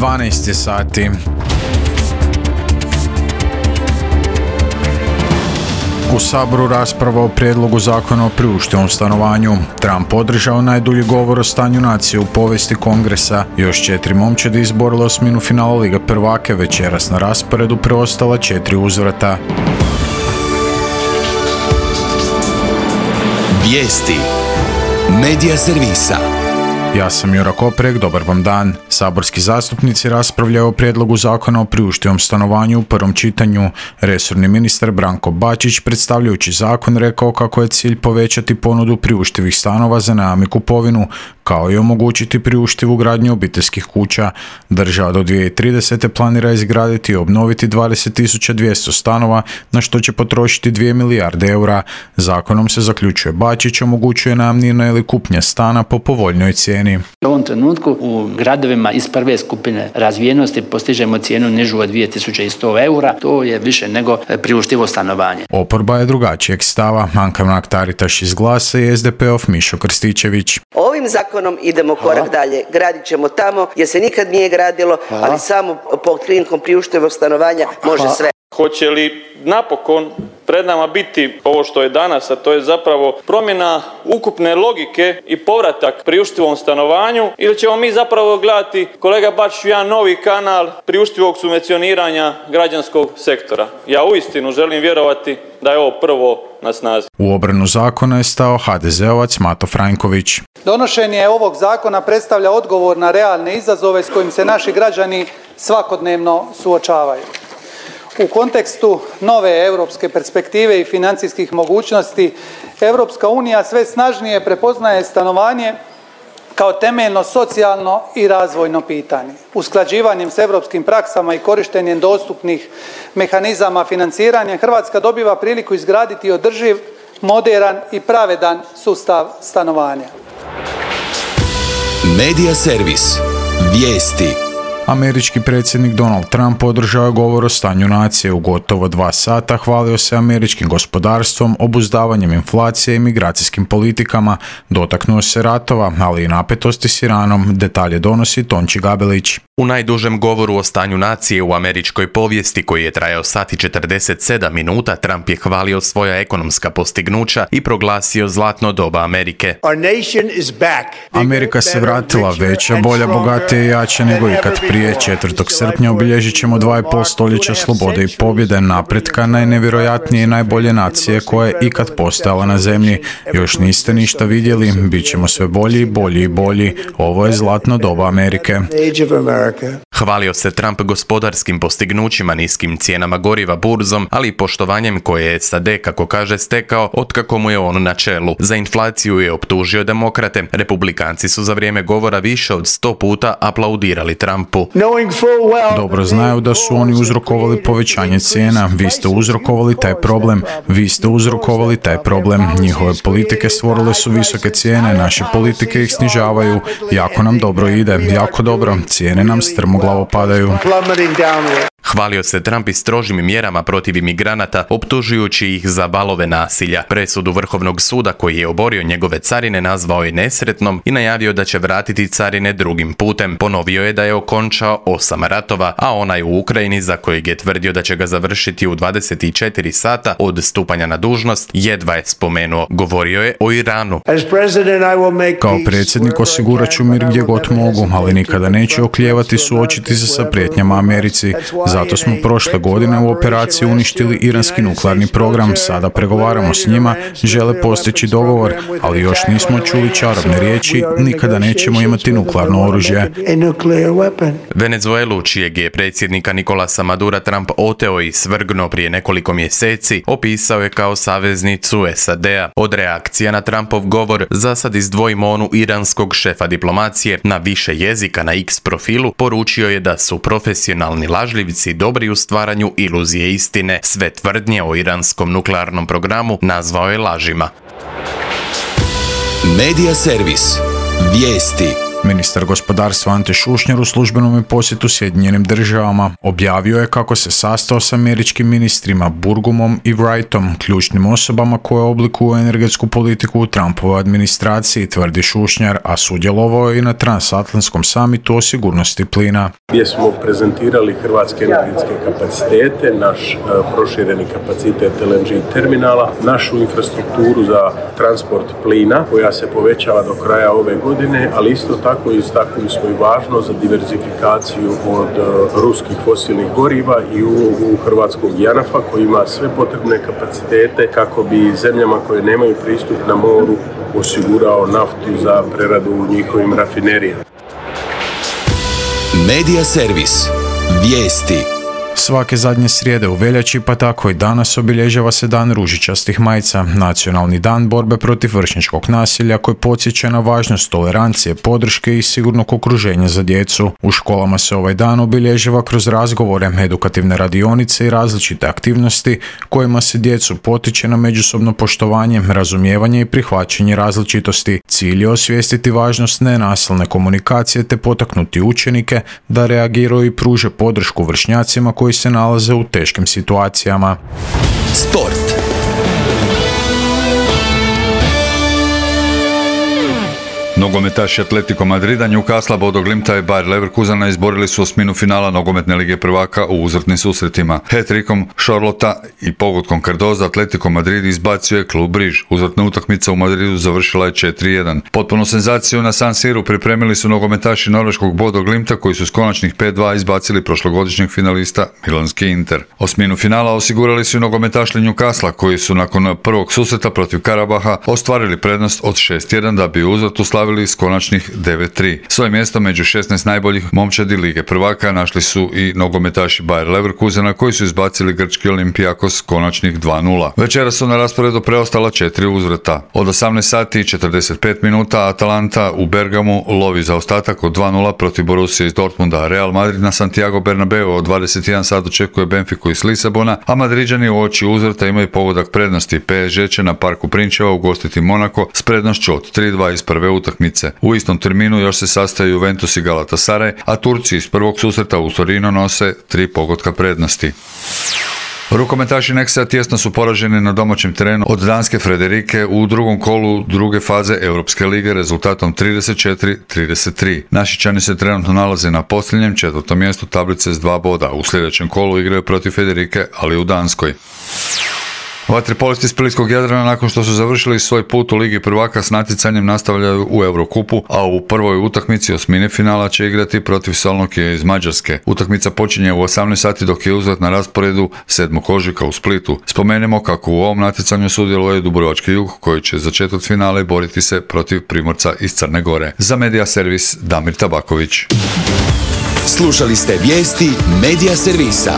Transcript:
12 sati. U Saboru rasprava o prijedlogu zakona o priuštivom stanovanju. Trump održao najdulji govor o stanju nacije u povijesti Kongresa. Još 4 momčadi izborile osminu finala Lige prvaka, večeras na rasporedu preostala 4 uzvrata. Vijesti Medija servisa. Ja sam Jura Koprek, dobar vam dan. Saborski zastupnici raspravljaju o prijedlogu zakona o priuštivom stanovanju u prvom čitanju. Resorni ministar Branko Bačić, predstavljajući zakon, rekao kako je cilj povećati ponudu priuštivih stanova za najam i kupovinu, kao i omogućiti priuštivu gradnju obiteljskih kuća. Država do 2030. planira izgraditi i obnoviti 20.200 stanova, na što će potrošiti 2 milijarde eura. Zakonom se, zaključuje Bačić, omogućuje najamnina ili kupnja stana po povoljnoj cijeni. U ovom trenutku u gradovima iz prve skupine razvijenosti postižemo cijenu nižu od 2100 eura. To je više nego priuštivo stanovanje. Oporba je drugačijeg stava. Anka Mrak-Taritaš iz Glasa i SDP-ov Mišo Krstičević. Ovim zakonom idemo korak dalje. Gradit ćemo tamo gdje se nikad nije gradilo, ali samo pod krinkom priuštivog stanovanja može sve. Hoće li napokon pred nama biti ovo što je danas, a to je zapravo promjena ukupne logike i povratak priuštivom stanovanju, ili ćemo mi zapravo gledati, kolega Bačić, jedan novi kanal priuštivog subvencioniranja građanskog sektora? Ja uistinu želim vjerovati da je ovo prvo na snazi. U obranu zakona je stao HDZ-ovac Mato Franjković. Donošenje ovog zakona predstavlja odgovor na realne izazove s kojim se naši građani svakodnevno suočavaju. U kontekstu nove europske perspektive i financijskih mogućnosti, Europska unija sve snažnije prepoznaje stanovanje kao temeljno socijalno i razvojno pitanje. Usklađivanjem s europskim praksama i korištenjem dostupnih mehanizama financiranja, Hrvatska dobiva priliku izgraditi održiv, moderan i pravedan sustav stanovanja. Medija servis. Vijesti. Američki predsjednik Donald Trump održao je govor o stanju nacije u gotovo 2 sata, hvalio se američkim gospodarstvom, obuzdavanjem inflacije i migracijskim politikama, dotaknuo se ratova, ali i napetosti s Iranom. Detalje donosi Tonči Gabelić. U najdužem govoru o stanju nacije u američkoj povijesti, koji je trajao sat i 47 minuta, Trump je hvalio svoja ekonomska postignuća i proglasio zlatno doba Amerike. Amerika se vratila, veća, bolja, bogatija i jača nego ikad prije. 4. srpnja obilježit ćemo 2,5 stoljeća slobode i pobjede, napretka najnevjerojatnije i najbolje nacije koja je ikad postojala na zemlji. Još niste ništa vidjeli, bit ćemo sve bolji, bolji i bolji. Ovo je zlatno doba Amerike. Hvalio se Trump gospodarskim postignućima, niskim cijenama goriva, burzom, ali i poštovanjem koje je SAD, kako kaže, stekao otkako mu je on na čelu. Za inflaciju je optužio demokrate. Republikanci su za vrijeme govora više od 100 puta aplaudirali Trumpu. Dobro znaju da su oni uzrokovali povećanje cijena. Vi ste uzrokovali taj problem. Vi ste uzrokovali taj problem. Njihove politike stvorile su visoke cijene, naše politike ih snižavaju. Jako nam dobro ide, jako dobro. Cijene nam strmoglavo padaju. Hvalio se Trump i strožim mjerama protiv imigranata, optužujući ih za valove nasilja. Presudu Vrhovnog suda, koji je oborio njegove carine, nazvao je nesretnom i najavio da će vratiti carine drugim putem. Ponovio je da je okončao 8 ratova, a onaj u Ukrajini, za kojeg je tvrdio da će ga završiti u 24 sata od stupanja na dužnost, jedva je spomenuo. Govorio je o Iranu. Kao predsjednik osigurat ću mir gdje god mogu, ali nikada neću oklijevati suočiti se sa prijetnjama Americi. Zato smo prošle godine u operaciji uništili iranski nuklearni program. Sada pregovaramo s njima, žele postići dogovor, ali još nismo čuli čarobne riječi, nikada nećemo imati nuklearno oružje. Venezuelu, čijeg je predsjednika Nicolasa Madura Trump oteo i svrgnuo prije nekoliko mjeseci, opisao je kao saveznicu SAD-a. Od reakcija na Trumpov govor zasad izdvojimo onu iranskog šefa diplomacije. Na više jezika na X profilu poručio je da su profesionalni lažljivci dobri u stvaranju iluzije istine. Sve tvrdnje o iranskom nuklearnom programu nazvao je lažima. Medija servis. Vijesti. Ministar gospodarstva Ante Šušnjar u službenom posjetu Sjedinjenim državama objavio je kako se sastao s američkim ministrima Burgumom i Wrightom, ključnim osobama koje oblikuju energetsku politiku u Trumpovoj administraciji, tvrdi Šušnjar, a sudjelovao je i na transatlantskom samitu o sigurnosti plina. Gdje smo prezentirali hrvatske energetske kapacitete, naš prošireni kapacitet LNG terminala, našu infrastrukturu za transport plina koja se povećava do kraja ove godine, ali isto tako istaknuli smo i važno za diverzifikaciju od ruskih fosilnih goriva i ulogu hrvatskog JANAF-a koji ima sve potrebne kapacitete kako bi zemljama koje nemaju pristup na moru osigurao naftu za preradu u njihovim rafinerijama. Medija servis. Vijesti. Svake zadnje srijede u veljači, pa tako i danas, obilježava se Dan ružičastih majica, nacionalni dan borbe protiv vršnjačkog nasilja koji podsjeća na važnost tolerancije, podrške i sigurnog okruženja za djecu. U školama se ovaj dan obilježava kroz razgovore, edukativne radionice i različite aktivnosti kojima se djecu potiče na međusobno poštovanje, razumijevanje i prihvaćanje različitosti. Cilj je osvijestiti važnost nenasilne komunikacije te potaknuti učenike da reagiraju i pruže podršku vršnjacima koji se nalaze u teškim situacijama. Sport. Nogometaši Atletico Madrida, Newcastle, Bodo Glimta i Bayer Leverkusena izborili su osminu finala nogometne lige prvaka u uzvratnim susretima. Hat-trickom Charlotta i pogodkom Cardoza Atletico Madrid izbacio je klub Briž. Uzvratna utakmica u Madridu završila je 4-1. Potpuno senzaciju na San Siru pripremili su nogometaši norveškog Bodo Glimta koji su s konačnih 5-2 izbacili prošlogodišnjeg finalista milanski Inter. Osminu finala osigurali su i nogometaši Newcastle koji su nakon prvog susreta protiv Karabaha ostvarili prednost od 6-1 da bi uzvratu slavili s konačnih 9-3. Svoje mjesto među 16 najboljih momčadi lige prvaka našli su i nogometaši Bayer Leverkusena koji su izbacili grčki Olympiakos konačnih 2-0. Večera su na rasporedu preostala 4 uzvrata. Od 18 sati i 45 minuta Atalanta u Bergamu lovi za ostatak od 2-0 protiv Borussije iz Dortmunda. Real Madrid na Santiago Bernabeu od 21 sat očekuje Benfiku iz Lisabona, a Madriđani u oči uzvrata imaju pogodak prednosti. PSG će na Parku Prinčeva ugostiti Monako s prednošću od 3-2 iz prve utakmice. U istom terminu još se sastaju Juventus i Galatasaray, a Turci iz prvog susreta u Torino nose 3 pogotka prednosti. Rukometaši Nexa tjesno su poraženi na domaćem terenu od danske Frederike u drugom kolu druge faze Europske lige rezultatom 34-33. Našičani se trenutno nalaze na posljednjem 4. mjestu tablice s 2 boda. U sljedećem kolu igraju protiv Frederike, ali u Danskoj. Vaterpolisti Splitskog Jadrana nakon što su završili svoj put u Ligi prvaka s natjecanjem nastavljaju u Eurokupu, a u prvoj utakmici osmine finala će igrati protiv Solnokije iz Mađarske. Utakmica počinje u 18 sati dok je uzvrat na rasporedu 7. ožujka u Splitu. Spomenemo kako u ovom natjecanju sudjeluje Dubrovački Jug koji će za četvrtfinale boriti se protiv Primorca iz Crne Gore. Za Medija servis Damir Tabaković. Slušali ste vijesti Medija servisa.